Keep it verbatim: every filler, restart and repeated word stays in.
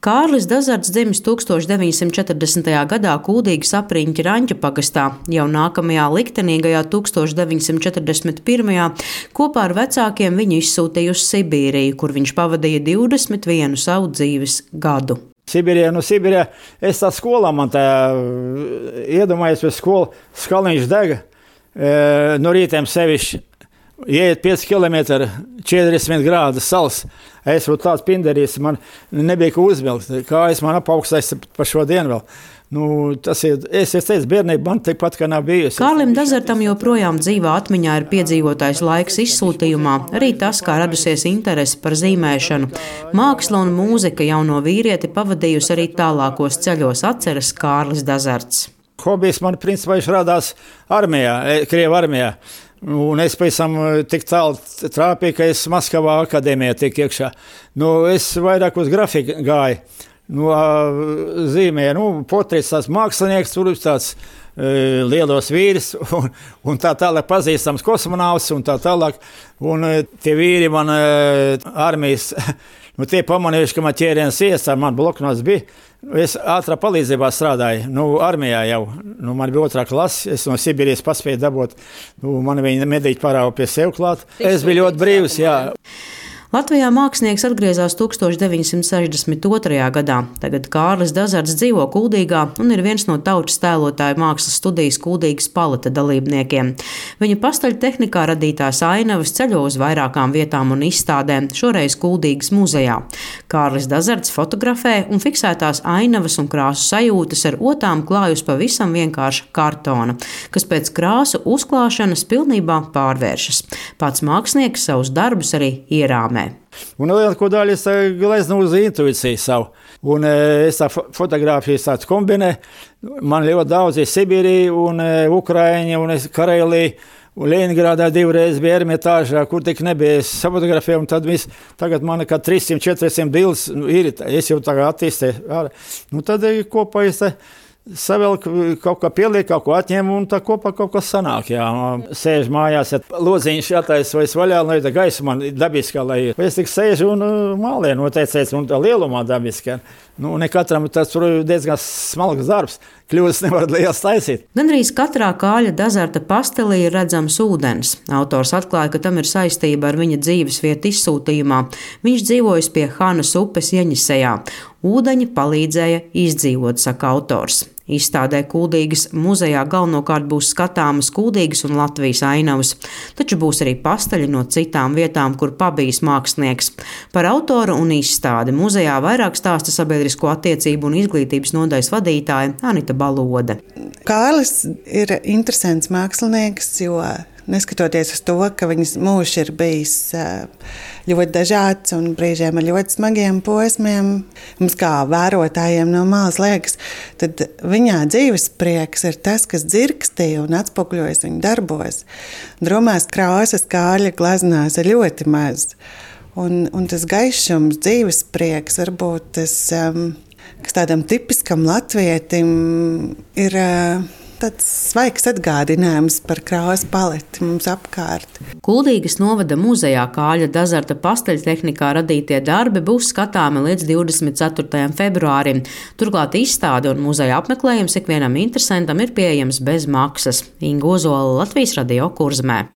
Kārlis Dazarts dzimis tūkstoš deviņsimt četrdesmitajā gadā Kuldīgas apriņķa Raņķa pagastā. Jau nākamajā liktenīgajā tūkstoš deviņsimt četrdesmit pirmajā kopā ar vecākiem viņu izsūtīja uz Sibīriju, kur viņš pavadīja divdesmit vienu savu dzīves gadu. Sibīrijā, nu Sibīrijā, es tā skolā man tā iedomājos pēc skolu, skaliņš dega, e, no rītiem sevišķi. Iet pieci kilometri, četrdesmit grādu sals. Es būtu tāds pinderīs, man nebija ko uzvilkt. Kā es man apaugstājos par šo dienu vēl. Nu, tas ir, es, es teicu, bērnība man tikpat, ka nav bijusi. Kārlim Dazartam joprojām dzīvā atmiņā ir piedzīvotais laiks izsūtījumā, arī tas, kā radusies interese par zīmēšanu. Māksla un mūzika jauno vīrieti pavadījusi arī tālākos ceļos, atceras Kārlis Dazarts. Hobijs man principā radās armijā, Krievu armijā. Un es pēc tam tik tālu trāpīju, ka es Maskavā akadēmijā tik iekšā. Nu, es vairāk uz grafiku gāju. Nu, zīmēja, nu, portrets tāds mākslinieks, tur tāds e, lielos vīris un, un tā tālāk pazīstams kosmonauts un tā tālāk. Un e, tie vīri man e, armijas, nu, tie pamanījuši, ka man ķēriens iestā, man bloknots bija. Es ātrā palīdzībā strādāju, nu, armijā jau. Nu, man bija otrā klase, es no Sibīrijas paspēju dabūt, nu, man viņa medīķi parāva pie sev klāt. Es biju ļoti brīvs, jā. Latvijā mākslinieks atgriezās tūkstoš deviņsimt sešdesmit otrajā gadā. Tagad Kārlis Dazarts dzīvo Kuldīgā un ir viens no tautas tēlotāju mākslas studijas Kuldīgas paleta dalībniekiem. Viņa pastaļtehnikā radītās ainavas ceļo uz vairākām vietām un izstādēm, šoreiz Kuldīgas muzejā. Kārlis Dazarts fotografē un fiksētās ainavas un krāsu sajūtas ar otām klājus pavisam vienkārša kartona, kas pēc krāsu uzklāšanas pilnībā pārvēršas. Pats mākslinieks savus darbus arī ierāmē. Un lielāko daļu es gleznu uz intuīciju savu. Un es tā fotogrāfijas tāds kombinē. Man ļoti daudz ir Sibīrija un Ukraiņa un Karelija. Un Leņņģerādā divreiz bija Ermitāžā, kur tik nebija. Es fotografēju, un tad viss, tagad man kā trīssimt četrsimt bildes nu, ir. Es jau tagad attīstēju. Nu, tad kopā es tā savelk, kaut kā pieliek, kaut ko atņem, un tā kopā kaut kas sanāk, jā. Sēž mājās, ja lodziņš jātaisa vaļā, lai tā gaisa man dabiskā, lai ir. Es tik sēžu un mālē noteicēs, un tā lielumā dabiskā. Nu, ne katram tas tur diezgan smalks darbs. Kļūdas nevar liels taisīt. Gandrīz katrā Kārļa Dazarta pastelī ir redzams ūdens. Autors atklāja, ka tam ir saistība ar viņa dzīves vietu izsūtījumā. Viņš dzīvojas pie Hanas upes Jeņisejā. Ūdeņi palīdzēja izdzīvot, saka autors. Izstādē Kuldīgas muzejā galvenokārt būs skatāmas Kuldīgas un Latvijas ainavas, taču būs arī pastaļi no citām vietām, kur pabijis mākslinieks. Par autoru un izstādi muzejā vairāk stāsta sabiedrisko attiecību un izglītības nodaļas vadītāja Anita Balode. Kārlis ir interesants mākslinieks, jo neskatoties uz to, ka viņas mūžs ir bijis ļoti dažāds un brīžiem ar ļoti smagiem posmiem, mums kā vērotājiem no malas liekas, tad viņā dzīves prieks ir tas, kas dzirkstīja un atspoguļojas viņa darbos. Dromās krāsas Kārļa gleznās ir ļoti maz. Un, un tas gaišums, dzīves prieks, varbūt tas, kas tādam tipiskam latvietim ir tāds svaigs atgādinājums par krāsu paleti mums apkārt. Kuldīgas novada muzejā Kārļa Dazarta pastaļtehnikā radītie darbi būs skatāmi līdz divdesmit ceturtajam februārim. Turklāt izstāde un muzeja apmeklējums ikvienam interesantam ir pieejams bez maksas. Inga Ozola, Latvijas Radio, Kurzemē.